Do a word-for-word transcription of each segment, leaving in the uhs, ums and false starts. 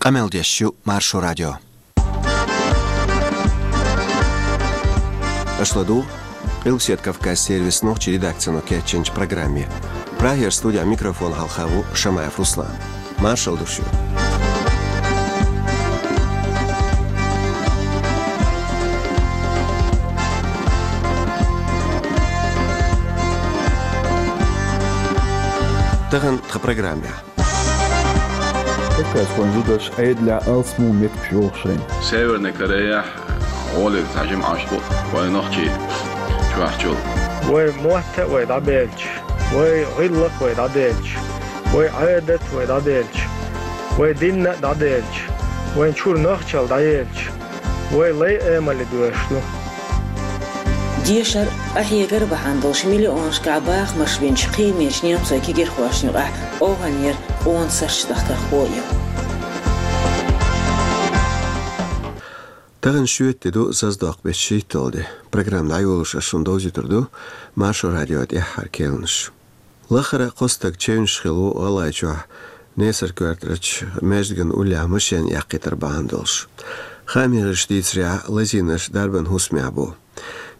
Къамел деш ю Маршо радио. Аша ладугӀу Къилбаседа Кавказан сервисан нохчийн редакцино кечйинчу программе. Прагера студехь микрофон хьалха ву Шамаев Руслан. Маршалла ду шуьга. Тахана тхан программехь. Кавказхойн зударш Ӏедалехь алсам меттигаш йолуш шайна. Северная Кореяхь гӀоле цхьа жима Ӏаш бу вайн нохчий чохь чул. Вай мотт а вай дӀабелча, вай гӀиллакх а вай дӀаделча, вай Ӏадат а вай дӀаделча, вай дин а дӀаделча, вайн чуьра нохчалла дӀаелча, вай лай а амале доьшуш ду. Дешар, къахьегар бахьана долуш миллионашкахь бахамаш бинчу кхиамечу немцойн кегийрхошна юкъахь оханера къона сарч дахкархо а ю. Тахана шоьтан де ду, зазадоккху беттан шийтталгӀа де. Программа дӀайолош ас шуна довзуьйтур ду Маршо радион тӀаьххьара керланаш. Лахара кхо стаг чевнаш хилла ву ГӀалгӀайчохь Несар-Коьртарчу маьждиган уллехь машен эккхийтар бахьана долуш. Хааман гӀирсаша дийцарехь, лазийнарш дарбан хӀусамехь бу.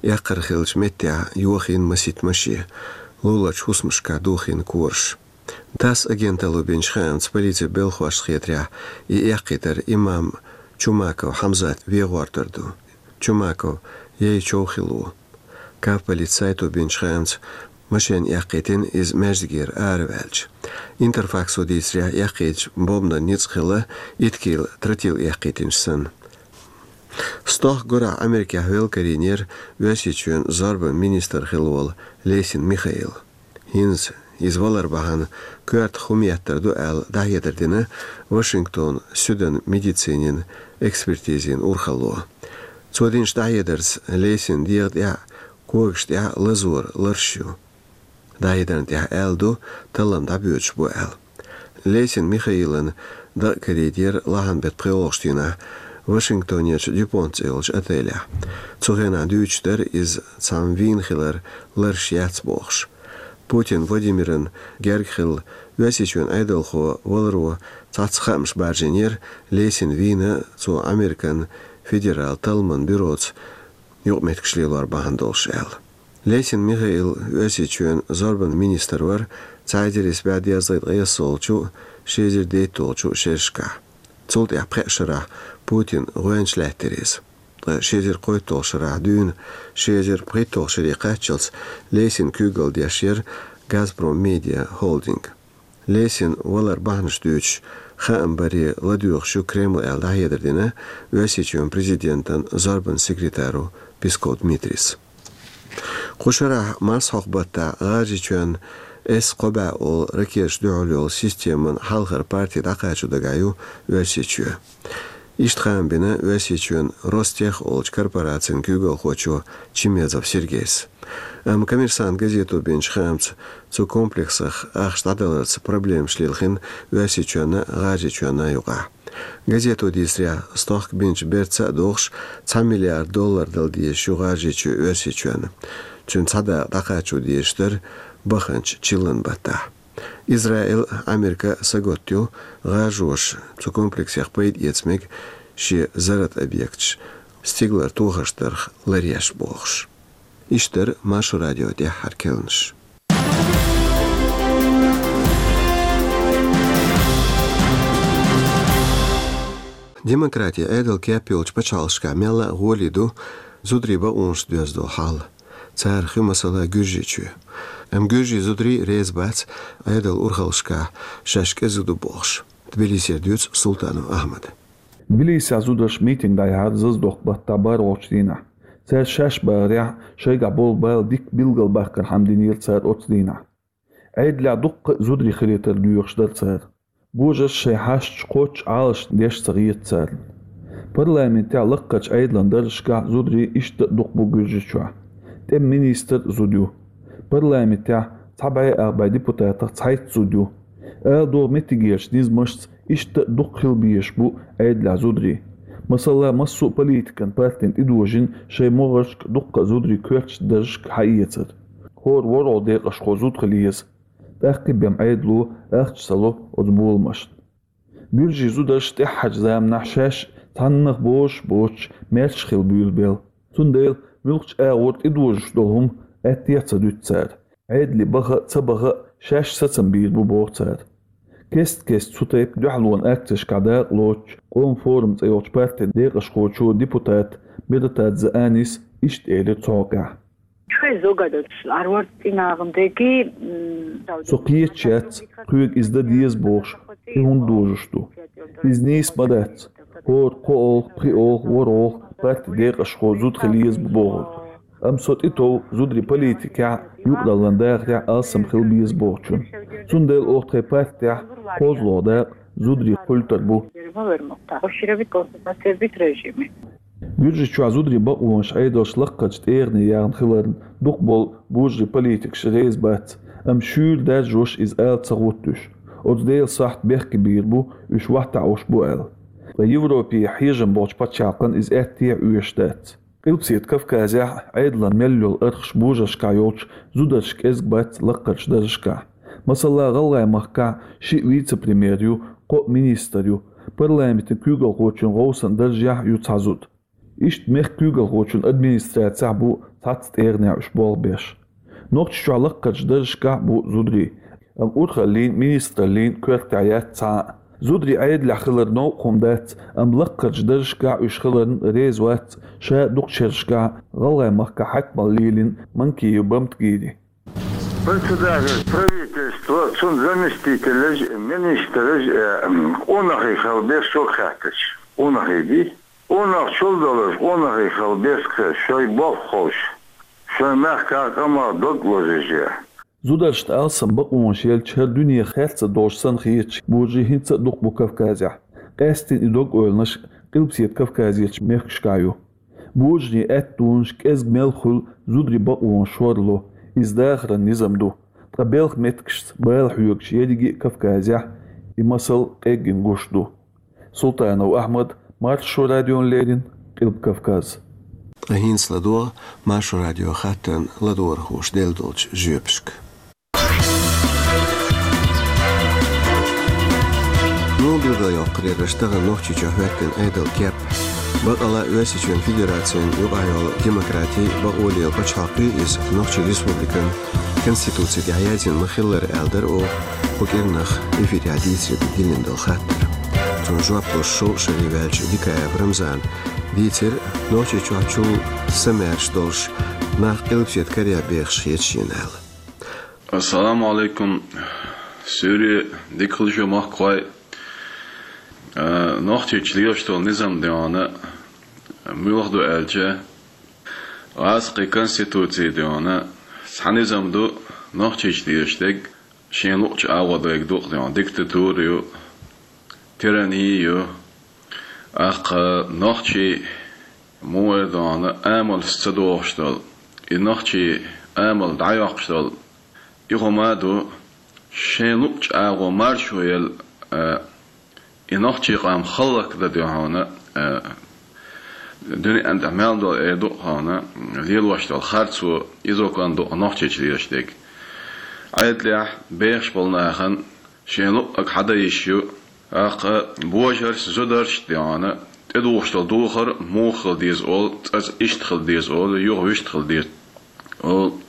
Эккхар хиллачу меттехь йохийна масийтта машен, луларчу хӀусамашкахь дохийна кораш. ТАСС агенталло бинчу хаамца, полицин белхалошна хетарехь, и эккхийтар имам Чумаков Хьамзат вен гӀортар ду. Чумаков яй чов хилла ву. Кавполицин сайто бинчу хаамца, машен эккхийтина иза маьждигера араваьлча. Интерфаксо дийцарехь, эккхийтачу бомбанан ницкъ хилла итт кила тротил эккхийтинчу санна. Стохка гурахь Америкехь велакарийнера Оьрсийчоьнан зорбанан министр хилла волу Лесин Михаил. ХӀинца иза валар бахьана коьртах хӀума еттар ду аьлла, дӀахьедар дина Вашингтонан суьдан медицинин экспертизин урхалло. Цо динчу дӀахьедарца, Лесинан дегӀан тӀехь а, когашна тӀехь а лазоран ларш ю. ДӀахьедарна тӀехь аьлла ду, таллам дӀабоьдуш бу аьлла. Лесин Михаилан дакъа карийтира лахьанан беттан пхоьалгӀачу дийнахь Вашингтонерчу Дюпонт цӀе йолчу отелехь. Цу хенахь дуьйцуш дара иза цхьамма вийна хилар, ларш яц бохуш. Путин Владимирна герга хилла, Оьрсийчоьнан Ӏедалхо валаро цхьацца хаамаш баржийнера, Лесин вийна цо Американ федералан талламан бюроца юкъаметтигаш лелор бахьана долуш аьлла. Лесин Михаил Оьрсийчоьнан зорбанан министр вара цхьа эзар исс бӀе дезткъе ткъайоьсналгӀачу, ши эзар дейтталгӀачу шерашкахь. Цул тӀаьхьа пхеа шарахь Путинан гӀоьнча лаьттира иза. Ткъа ши эзар кхойтталгӀачу шарахь дуьйна, ши эзар пхийтталгӀачу шаре кхаччалц Лесин куьйгалла деш яра Газпром Медиа холдинг. Лесин валар бахьанаш дуьйцуш, хаам баре ладоьгӀуш ю Кремль аьлла, дӀахьедар дина Оьрсийчоьнан президентан зорбанан секретаро Песков Дмитрийс. Кху шарахь марсхьокху баттахь ГӀажарийчоьнна С кхо бӀе олу ракеташна дуьхьал йолу системан хьалхара парти дӀакхачо дагахь ю Оьрсийчоь. Иштта хаам бина Оьрсийчоьнан Ростех олучу корпорацин куьйгалхочо Чимезов Сергейс. Амма Коммерсант газето бинчу хаамца, цу комплексах ахча дӀадаларца проблемаш лилхина Оьрсийчоьнна а, ГӀажарийчоьнна а юкъахь. Газето дийцарехь, стохка бинчу берца а догӀуш, цхьа миллиард доллар дала дезаш ю ГӀажарийчоь Оьрсийчоьнна. Цуьнан цхьа дакъа дӀакхачо дезаш дара баханчу чиллан баттахь. Израиль а, Америка а сагатду ГӀажароша цу комплексех пайда эца мега шен зарратан объекташ стигалара тохарш дарх ларъеш бохуш. Иштта дара Маршо радион тӀаьххьара керланаш. Демократин Ӏедал кеп йолчу пачхьалкхашкахь мелла а гӀоле ду зударийн бакъонаш доьзна долу хьал. Царах ю, масала, Гуьржийчоь. Амма гуьржийн зударий реза бац Ӏедалан урхаллашкахь шаьш кӀезиг ду бохуш. Тбилисера дуьйцу Султанов Ахьмада. Тбилисехь зударша митинг дӀаяьхьира зазадоккху баттахь бархӀалгӀачу дийнахь. Цара шаьш бахарехь, шайгахь болу бала дика билгалбаккхархьама динера цара оцу дийнахь. Ӏедалехь дуккха а зударий хилийтар доьхуш дара цара. Божарша шайн хьашташ кхоччуш Ӏалашдеш ца хета царна. Парламентехь лаккхарчу Ӏедалан даржашкахь зударий иштта а дукха бу Гуьржийчохь. ТӀеман министр а зуда ю. Парламентехь цхьа бӀе ах бӀе депутатах цхьайтта зуда ю. Ала догӀу, меттигерчу низамашца иштта а дукха хила безаш бу Ӏедалехь зударий. Масала, массо а политикан партина тӀедожийна шайн могӀаршка дуккха а зударий коьртачу даржашка хьаэцар. ХӀора ворхӀалгӀа декъашхо зуда хила еза. ТӀаккха бен Ӏедало ахча ца ло оцу боламашна. Буьржийн зударша тӀаьххьарчу заманахь шаьш цхьаннах бозуш боцуш, маьрша хила буьйлабелла. Цундела муьлххачу агӀор тӀедожош долу хӀума аьттехьа ца дуьту цара. Ӏедале баха а, ца баха а, шаьш сацам бийр бу, боху цара. Кест-кеста цу тайпа дуьхьалонан акцешкахь дакъа лоцучу «Къоман форум» цӀе йолчу партин декъашхочо, депутато Миратадзе Аниса иштта элира цу хьокъехь. Шуьга зугадалц арварт цӀинагӀан деги, м, Со кхеташ яц, кхуьга иза дан деза бохуш, и хӀунда дожош ду. Иза нийса ма дац. ХӀора кхоалгӀа, пхиалгӀа, ворхӀалгӀа партин декъашхо зуда хила еза бу бохург. Амма со тӀетов зударийн политикехь, юкъадаларан дахарехь алсам хила беза бохучунна. Цундела оха тхайн партехь кхозлагӀа дакъа зударийн культура бу. Буьржичохь зударийн бакъонаш Ӏедалша лакхарчу тӀегӀане яьхна хиларна дукхахболу божарийн политикаш реза бац, амма шуьйра даржош иза ала ца гӀоттуьйтуш. Оцу Делан сахьт бехке бийр бу, уьш ваттахь Ӏуш бу аьлла. Ткъа Европехь хьежам болчу пачхьалкхана иза аьттехьа оьшуш дац. Къилбаседа Кавказехь Ӏедалан мел йолу архаш божаршкахь йолчу зударша кӀезиг бац лакхарчу даржашкахь. Масала, ГӀалгӀайн махкахь шиъ вице-премьер ю, кхоъ министр ю, парламентан куьйгалхочун гӀовсан даржехь ю цхьа зуда. Иштта мехкан куьйгалхочун администрацехь бу цхьацца тӀегӀанехь уьш болх беш. Нохчийчохь лакхарчу даржашкахь а бу зударий, амма урхаллин, министраллин коьртехь яц цхьа а. Зударий Ӏедалехь хилар новкъа хӀума дац, амма лакхарчу даржашкахь уьш хиларна реза вац ша дукхачу шерашкахь ГӀалгӀайн махкахь хьаькамалла лелийна Манкиев Бамтгири. Председатель правительства, цуьнан заместителаш, министраш, э, къонахий хила беза, шуьга хаьттича. Къонахий бий? Къонах чул долуш, къонахий хила беза, шайн болх ховш, шайн мехкан къаман дог лозуш. Зударшна алсам бакъонаш елча, хӀара дуьне херца долуш санна хеташ божарий хӀинца а дукха бу Кавказехь. Къаьсттина и дог-ойланаш Къилбаседа Кавказерчу мехкашкахь ю. Божарийн аьттонаш кӀезиг мел хуьлу зударийн бакъонаш шорло, иза дахаран низам ду. Ткъа белхан меттигашца бала хьоьгуш ерриге а Кавказехь и масал къеггина гуш ду. Султанов Ахьмад, Маршо радиона леррина, Къилба Кавказ. Ткъа хӀинца ладогӀа Маршо радион хаттарна ладогӀархоша делла долчу жоьпашка. Нобелан йоккхарераш тахана Нохчийчохь хӀоьттина Ӏедалан кеп. Бакъала Оьрсийчоьнан Федерацин юкъахь йолу демократи, бакъо лела пачхьалкх ю иза Нохчийн Республикан Конституци тӀехь яздина ма-хиллара аьлла дара оха кху кӀирнах эфирехь дийцаре диллина долу хаттар. Цунна жоп луш шовзткъа шаре ваьллачу Дикаев Рамзана дийцира Нохчийчохь чул самаьрша долуш нах Къилбаседа карехь бехаш хета шена аьлла. Ассаламу алейкум. Суьйре дика хуьлда шун, махкахой. А, Нохчийчохь лелаш долу низам дегӀана муьлха ду аьлча, гӀазкхийн конституци дегӀана цхьа низам ду Нохчийчохь лелаш дерг, шен луъучу агӀор дерг ду-кх дегӀана, диктатура ю, тирани ю. ТӀаккха нохчий муха дегӀана амалш ца дохуш долу, и нохчий амал дӀайоккхуш долу, и хӀума а ду, шен луъучу агӀор маршо елла, а, и нохчийн къам хӀаллакдан дегӀана, а, дуьненна тӀехь мел долу эр ду-кх хьуна, лелош долу харцо, иза кхана ду-кх Нохчийчохь лелаш дерг. Ӏедалехь бехаш болу нахана шен луъург хьадан йиш ю. ТӀаккха божаршна, зударшна дегӀана тӀедухуш долу духар муха хила деза олу, цкъа иштта хила деза олу, юха вуьшта хила деза олу.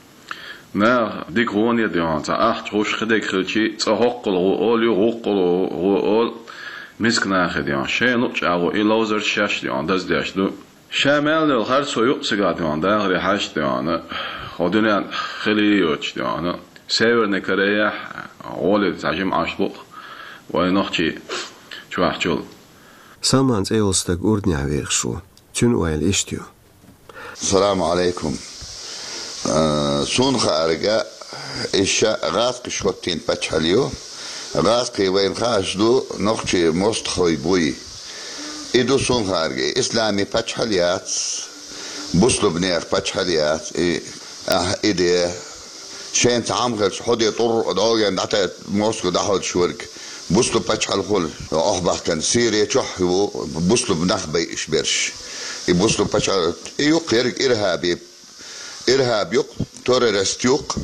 Наха дика гӀоне дегӀана цхьа ахча гӀуш, кхидерг хилчий, цкъа хӀоккхул гӀо олу, юха вукхул гӀо олу, миска нахе дегӀана шайна луъучу агӀор и ловзарш шаьш дегӀана даздеш ду. Ша мел йолу харцо юкъа цигахь дегӀана дахаре хьаьжча дегӀана, хӀо дуьненна хила йоцуш дегӀана, Северный Корейхь гӀоле цхьа жимма Ӏаш бу-кх вайн Нохчийчохь чул. Салман цӀе йолу стаг Урданехь вехаш ву. Цуьнан ойла иштта ю. Салам алейкум. Э, суна хаарга, иша гӀазкхаша хӀоттийна пачхьалкх ю. ГӀазкхий вайна хууш ду, нохчийн мостагӀий буй. И ду суна хаарга, и исламийн пачхьалкх яц, бусулбанех пачхьалкх яц, и, ахь, и де. Шайна цхьа хӀума хилча, хьо де тӀур а долгӀен дӀатаьӀа мостагӀа дӀахьоьдуш верг. Бусулба пачхьалкх хуьлу, охьабахкана Сири чохь ву бусулба нах байъаш берш. И бусулба пачхьалкх, и ю-кх ерриг ирхӀаби, ирхӀаб ю-кх, террорист ю-кх,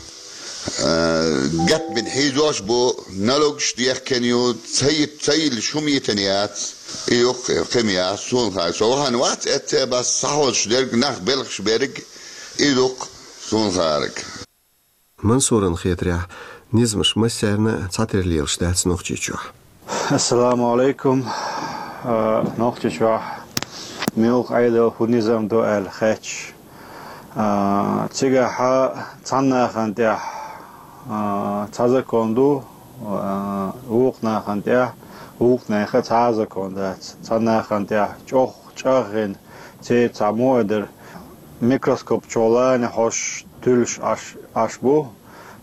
Э, гатбин хьийзош бу, налогаш дехкан ю, ца йит-, ца йилла шум йитан яц, и юккъе кхим яц, суна хай. Со вахана вац эцце бас сахьозаш дерг, нах белхаш берг, и дукх суна хараг. Мансуран хетарехь, низамаш массарна цхьатера лелаш дац Нохчийчохь. Ассаламу алейкум. А, Нохчийчохь муьлха Ӏедал, хӀун низам ду аьлла хеташ. А, цигахьа цхьаннахана тӀехь, а, цхьа закон ду, а, вукху нахана тӀехь, вукху нехан цхьа а закон дац. Цхьаннахана тӀехь чӀох чӀагӀйина, церан цхьа мо а дара, микроскоп чу лана хьош туьллуш Ӏаш, Ӏаш бу.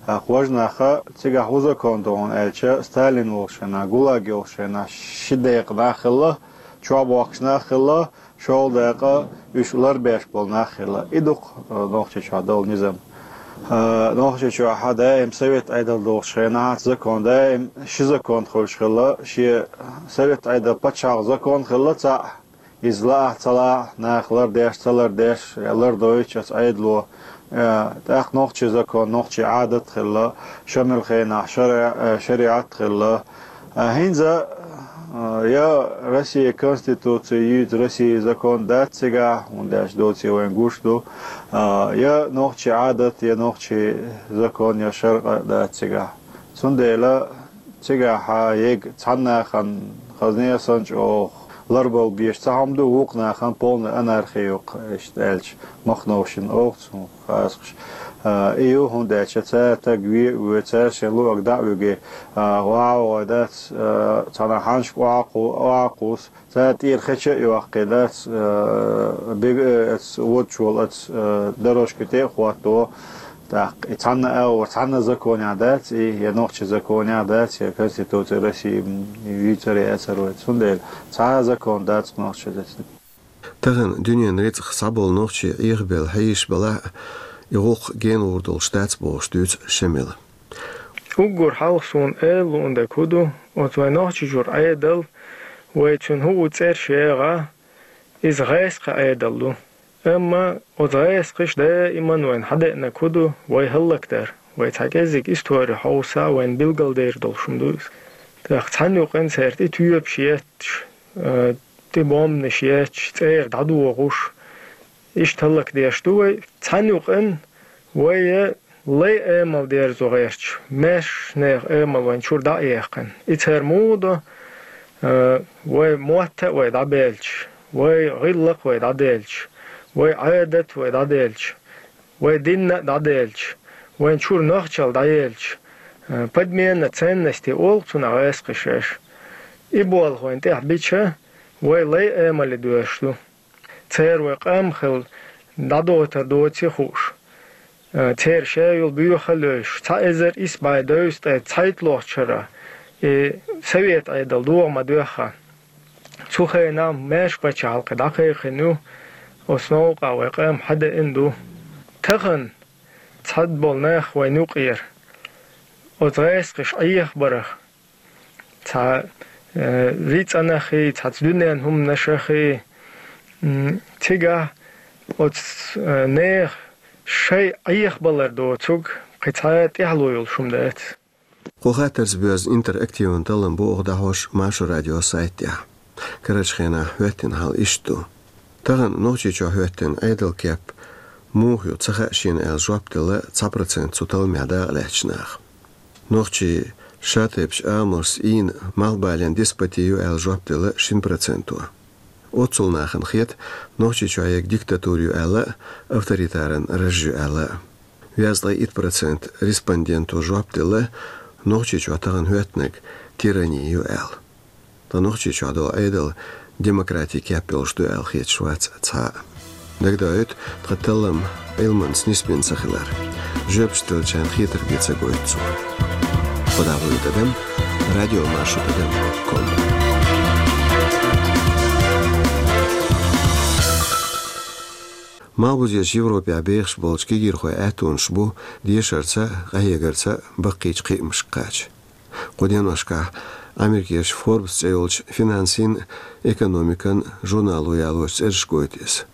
ТӀаккха важа наха цигахь хӀун закон ду хьуна аьлча, Сталин волчу хенахь, ГУЛАГ йолчу хенахь ши декъа нах хилла, чохь бохкуш нах хилла, шолгӀа декъа уьш ларбеш болу нах хилла. И ду-кх, э, Нохчийчохь долу низам. Э, Нохчийчохь даим совет Ӏедал долчу хенахь закон, даим ши закон хуьлуш хилла, шен совет Ӏедал пачхьалкхан закон хилла цхьаъ, иза лаахь а ца лаахь а, нах лардеш а ца лардеш а, лардойтуш оцу Ӏедало. Э, тӀаккха нохчийн закон, нохчийн Ӏадат хилла, Шамилан хенахь шари-, э, шариӀат хилла. Э, хӀинца, э, я Россин Конституци юьйцу, Россин закон дац цигахь, хӀунда аьлча доций вайн гуш ду, э, я нохчийн Ӏадат, я нохчийн закон, я шариӀат дац цигахь. Цундела цигахь ега цхьаннахана хазне а санна чӀогӀа ларбала безаш цхьа хӀума ду, вукху нахана полная анархия ю-кх, иштта аьлча, махно шина оха цунах хазахаш. А, и ю, хӀунда аьлча цара стаг ве а воьду, цара шен луъург дӀа а вуьгу, а, ваха а вогӀий дац, а, цхьана хьанашка охьа а кху-, охьа а кхуссу, цара тӀера хеча а йоккхий дац, а, бег-, а, оцу водачу волу оцу, а, дорожка тӀе а хӀотто. ТӀаккха и цхьанна агӀор, цхьанна законехь дац и, я нохчийн законехь дац, я Конституци России, м, юьйцур а яцар вай. Цундела цхьа а закон дац нохчийн. Тахана дуьненан рицкъах схьаболу нохчий Ӏехабелла хьийзаш белахь а, и гӀуллакх генагӀур долуш дац бохуш дуьйцу Шамила. Уггар хьалха суна эр луун дерг хӀун ду, оцу вайн Нохчийчуьра Ӏедал, вай цуьнан хӀуъу цӀераш ягӀа, иза гӀаскхийн Ӏедал ду. Амма оцу гӀаскхаша даиман вайна хьадеанарг хӀун ду, вай хӀаллакдар, вай цхьа кӀеззиг истори хьовса, вайна билгалдер долуш хӀума ду иза. ТӀаккха цхьана юкъана цаьрга тӀе тоьпаш етташ, а, тӀе бомбанаш етташ, цӀера дӀадохуш, иштта хӀаллакдеш ду вай. Цхьана юкъана вай лай амал дерзо гӀерташ, маьршачу нехан амал вайн чуьра дӀа а яьккхина. И цара муха до, а, вай мотт а вай дӀабелча, вай гӀиллакх а вай дӀаделча, вай Ӏадат а вай дӀаделча, вай дин а дӀаделча, вайн чуьра нохчалла дӀаелча, а, подмена ценностей олу цунах гӀаскхаша шаьш. И болх вайна тӀехь бича, вай лай амале доьрзуш ду. Церан вай къам хилла дӀадойтур доций хууш, а, церан шайолу боьха а лоьйш, цхьа эзар исс бӀе дезткъе цхьайтталгӀачу шарахь и совет Ӏедал догӀа ма-доьххьа. Цу хенахь маьрша пачхьалкх дӀакхайкхина ю, оцу новкъахь вай къам хьадеана ду. Тахана цхьаболу нах вайна юкъера оцу гӀаскхаша Ӏехабарах, цхьа, э, рицкъанах хи, цхьацца дуьненан хӀуманашах хи, м, цигахь оцу, э, нехан шайн Ӏехабалар доцург кхин цхьа а тӀаьхьало йолуш хӀума дац. Кху хаттарца боьзна интерактиван таллам бу оха дӀахьош Маршо радион сайта тӀехь. Карарчу хенахь хӀоьттина хьал иштта ду. Тахана Нохчийчохь хӀоьттина Ӏедалан кеп муха ю ца хаьа шена аьлла жоп делла цхьа процент цу талламехь дакъалаьцначу наха. Нохчийн шатайпа амалшца ийна малхбален деспоти ю аьлла жоп делла шина проценто. Оццул нахана хета Нохчийчохь ерг диктатура ю аьлла а, авторитаран раж ю аьлла а. Везткъе итт процент респонденто жоп делла, Нохчийчохь тахана хӀоьттинарг тирани ю аьлла. Ткъа Нохчийчохь долу Ӏедал демократин кеп йолуш ду аьлла хеташ вац цхьа а. Дагадоуьйту тхан таллам Ӏилманца нисбина ца хилар. Жоьпаш деллачарна хетарг бен ца гойту цо. Кху дӀа вуьйла тӀадам, радио Маршо тӀадам ком. Малхбузерчу Европехь бехаш болчу кегийрхойн аьттонаш бу дешарца а, къахьегарца а баккхийчу кхиамашка кхача. Кху деношкахь Америкерчу Forbes цӀе йолчу финансийн а, экономикан а журнало ялочу цӀераш гойту иза.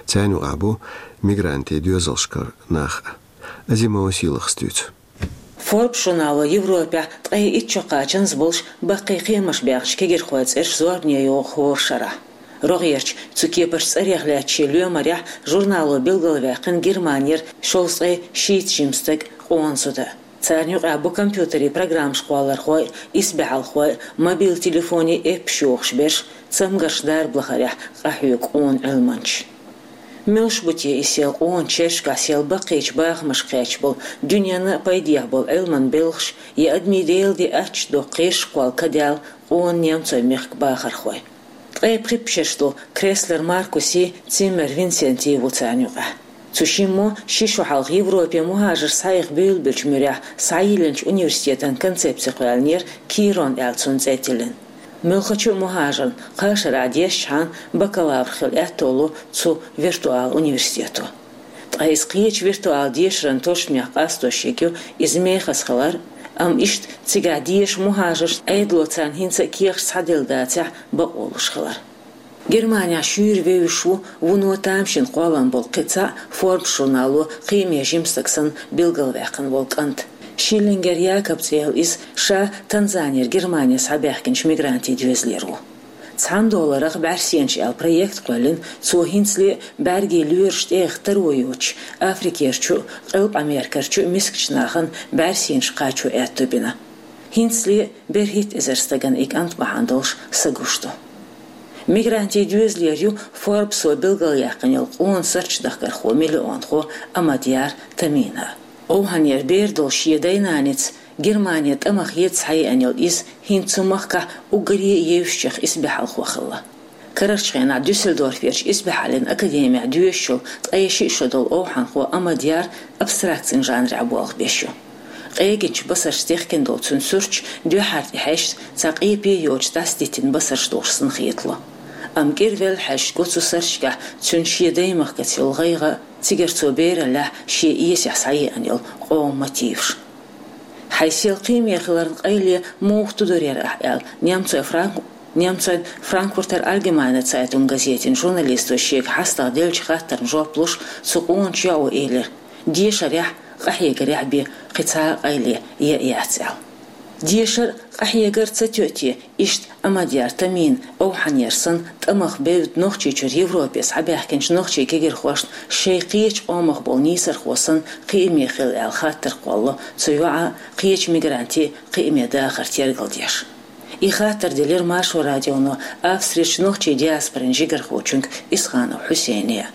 Царна юкъахь бу мигрантийн доьзалшкара нах а. Азимова Сийлахас дуьйцу. Forbes журнало Европехь ткъе итт шо кхачанза болуш баккхий кхиамаш баьхначу кегирхойн цӀераш зорбане йоху хӀора шарахь. РогӀерчу, цу кепарчу цӀарех лаьцначу шен лоьмарехь журнало билгалваьккхина Германера шовзткъе шийтта жима стаг, къона зуда. Царна юкъахь бу компьютерийн программаш кхоллархой, исбаьхьалхой, мобил телефонийн эппаш йохуш берш, цамгарш дарба лахарехь къахьоьгу къона Ӏилманчаш. Муьлш бу те и сел къона чергашкахь сел баккхийчу бахамашка кхаьчна болу, дуьненна а пайдехь болу Ӏилманан белхаш, я адамийн Делан де аттачу доккху кхераш кхолла кадаьлла къона немцойн мехкан бахархой? Ткъе пхи шераш долу Креслер Маркуси, Циммер Винсенти ву царна юкъахь. Цу шиммо ши шо хьалха Европе мухӀажарш схьаэха буьйлабеллачу муьрехь схьайиллинчу университетан концепци кхоьллинера Кирон аьлла цунна цӀе тиллина. Муьлххачу а мухӀажарна кхаа шарахь дешчхьана бакалавр хила аьтто ло цу виртуал университето. Ткъа иза кхечу виртуал дешаран тосучу мехка къастош ерг ю иза мехаза хилар, амма иштта цигахь деша мухӀажарш Ӏедало царна хӀинца а кехаташ схьаделла дацахь бакъо луш хилар. Германехь шуьйра вевзаш ву вуно тамашийна кхоллам болу кхин цхьа а Forbes журнало кхиаме жима стаг санна билгалваьккхина волу кӀант. Шиллингер Якоб цӀе йолу иза, ша Танзанера Германе схьабаьхкинчу мигрантийн доьзалера ву. «Цхьана долларах бӀаьрсенаш» аьлла проект кхоьллина цо хӀинцале а, бӀаьргийн лоьраш тӀеэха таро йоцуш, Африкерчу а, Къилба Америкерчу а мискачу нахана бӀаьрсенаш кхачо аьтто бина. ХӀинцале а берхӀитта эзар стагана и кӀант бахьана долуш са гуш ду. Мигрантийн доьзалера ю Forbes-о билгалъяьккхина йолу къона сурташ дахкархо, миллионхо Амадьяр Тамина. Овхьанера бер долуш шен дай-наница Германе тӀамах еза схьаеана йолу иза хӀинца цу махкахь уггаре а евзачех исбаьхьалхо хилла. Карарчу хенахь Дюссельдорферчу исбаьхьаллин академехь доьшуш йолу ткъе шиъ шо долу овхьанхо Амадьяр абстракцин жанрехь болх беш ю. Къегинчу басаршца техкина долу цуьнан сурташ дуьххьара тӀехьаьжча цхьа къепе йоцуш дӀасадиттина басарш долуш санна хетало. Амма кӀира велла хьаьжча го цу сурташкахь цуьнан шен даймахкаца йолу гӀайгӀа а, цигара цо бераллехь шен эсехь схьаеана йолу къоман мотиваш. «Хьайн сел кхиаме хиларна къайле муха тудур яра ахь?» аьлла, немцойн Франк-, немцойн Франкфуртер Альгемайне Цайтунг газетин журналисто шега хьастагӀа деллачу хаттарна жоп луш, цу къоначу йоӀо элира: «Дешарехь а, къахьегарехь а бен кхин цхьа а къайле яа яц», аьлла. Дешар а, къахьегар а ца тоьу те, иштта Амадьяр Тамина овхьанера санна тӀамах бевдда Нохчийчуьра Европе схьабаьхкинчу нохчийн кегирхошна шайн кхечу къомах болу нийсархо санна кхиаме хила аьлла хаттар кхоллало цу йоӀа а, кхечу мигранте а кхиаме дахар тергалдеш. И хаттар делира Маршо радионо Австрерчу нохчийн диаспорин жигархочуьнга Исханов Хьусейне.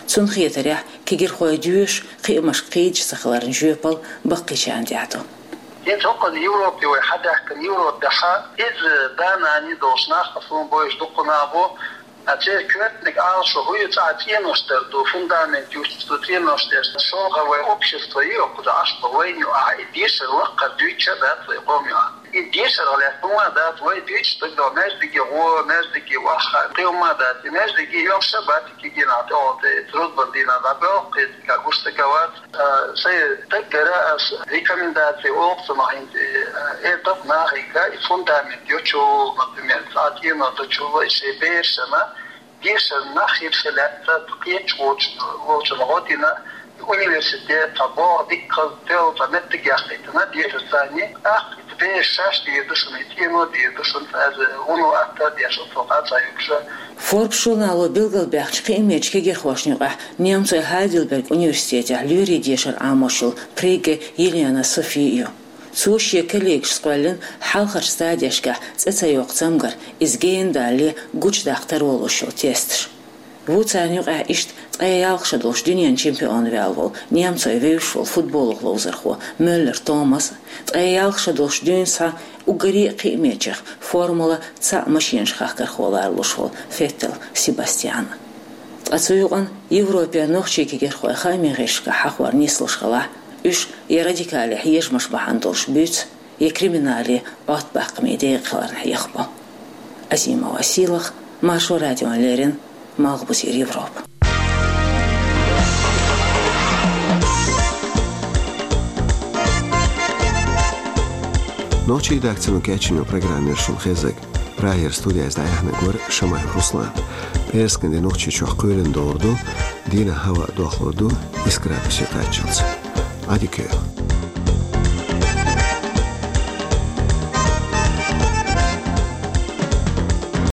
Цунна хетарехь, кегирхой доьшуш, кхиамашка кхийдаш ца хиларна жоьпалла баккхийчарна тӀехь ду. ХӀинца хӀокхуьнан Европе вай хьадаьхкина, Европехь иза да-нана долуш нах, суна бовзуш дуккха нах бу, а церан коьртаниг Ӏалашо хӀун ю, цӀа цӀенош тера ду, фундамент юьсту цӀенош тера. ШолгӀа вайн общество ю, кхуза Ӏаш бу вайна ю, ахьа и дешар лаккхара дуьйцуш а дац вай къоман юкъахь. И дешарах лаьцна хӀума дац, вай дуьйцуш дагадогӀу, маьждиге гӀо, маьждиге ваха, кхин хӀума дац, и маьждиге йоккхуш а бац, кегийнахь тӀехула тӀе, рузбан дийнахь дӀабоьлху, кхин цкъа гуш стаг а вац. А, сайн стаггара ас рекомендаци олу цунах хӀинца, э, э, тап нахе, и фундамент йочул, например, цӀа цӀено тӀечул, и шайн берашна дешар нах хир ше лаьцна, кхечу волчу, волчунна гӀо дина, университет, цхьа боху дикка хаза тел, цхьа меттиг яхийтина, дешар царна, тӀаккха и бераш шаьш дийр ду шуна, и цӀено дийр ду шуна, цкъа вуно атта а деш, оццул къа а ца юьгуш. Forbes журнало билгалбаьхначу кхиамечу кегирхошна юкъахь немцойн Хайдельберг университетехь лоьрийн дешар Ӏамош йолу Пригге Елена Софи ю. Цо шен коллегашца кхоьллина хьалхарчу стадешкахь цӀе ца йоккху цамгар, иза гена далале гучудаккха таро луш йолу тесташ. Ву царна юкъахь иштта ткъе ялх шо долуш дуьненан чемпион ваьлла волу, немцойн вевзаш волу футболах ловзархо Мюллер Томас а, ткъе ялх шо долуш дуьйна схьа уггаре а кхиамечех формула цхьаъ машенаш хахкархо ларалуш волу Феттел Себастьян а. Ткъа цу юкъана Европе нохчийн кегирхой хаамийн гӀирсашкахь хьахор нислуш хилахь, уьш я радикале хьежамаш бахьана долуш буьйцу, я криминале Ӏоттабаккхаме декъа хиларна хьехабо. Азимова Сийлаха, Маршо радиона леррина, Малхбузера Европа. Нохчийн редакцино кечйина программа яра шуна хезнарг. Прагера студияза дӀаяьхьнарг вара Шамаев Руслан. ПӀераскан де Нохчийчохь кхоьлина догӀур ду, дийнахь хӀаваъ дохлур ду исс градусе кхаччалц. Ӏадика йойла.